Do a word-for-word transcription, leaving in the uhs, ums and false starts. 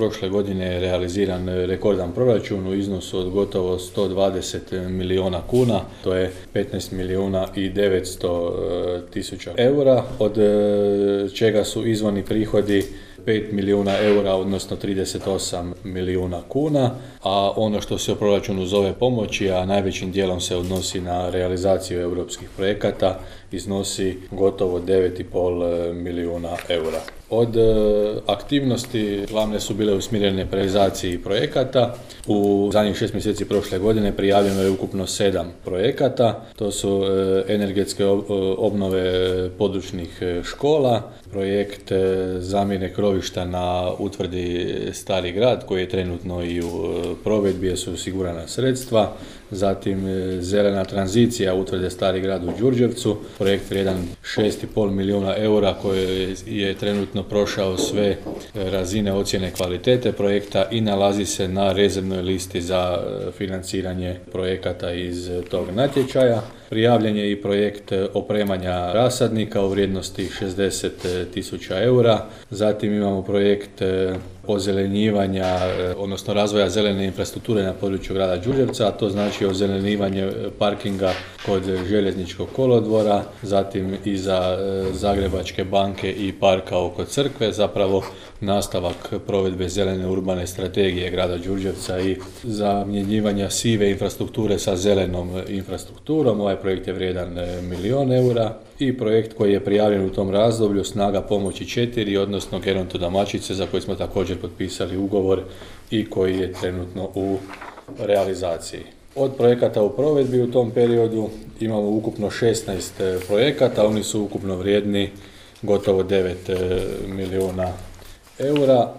prošle godine je realiziran rekordan proračun u iznosu od gotovo sto dvadeset milijuna kuna, to je petnaest milijuna i devetsto tisuća eura, od čega su izvorni prihodi pet milijuna eura, odnosno trideset osam milijuna kuna, a ono što se u proračunu zove pomoći, a najvećim dijelom se odnosi na realizaciju europskih projekata, iznosi gotovo devet i pol milijuna eura. Od aktivnosti glavne su bile usmjerene realizaciji projekata. U zadnjih šest mjeseci prošle godine prijavljeno je ukupno sedam projekata. To su energetske obnove područnih škola, projekt zamjene krovišta na utvrdi Stari grad koji je trenutno i u provedbi, jer su osigurana sredstva. Zatim zelena tranzicija utvrde Stari grad u Đurđevcu, projekt vrijedan šest i pol milijuna eura koji je trenutno prošao sve razine ocjene kvalitete projekta i nalazi se na rezervnoj listi za financiranje projekata iz tog natječaja. Prijavljen je i projekt opremanja rasadnika u vrijednosti šezdeset tisuća eura. Zatim imamo projekt ozelenjivanja, odnosno razvoja zelene infrastrukture na području grada Đurđevca, a to znači ozelenivanje parkinga kod željezničkog kolodvora, zatim i za Zagrebačke banke i parka oko crkve, zapravo nastavak provedbe zelene urbane strategije grada Đurđevca i zamjenjivanja sive infrastrukture sa zelenom infrastrukturom. Ovaj projekt je vrijedan milijun eura i projekt koji je prijavljen u tom razdoblju Snaga pomoći četiri, odnosno Geronto-Damačice, za koji smo također potpisali ugovor i koji je trenutno u realizaciji. Od projekata u provedbi u tom periodu imamo ukupno šesnaest projekata, oni su ukupno vrijedni gotovo devet milijuna eura.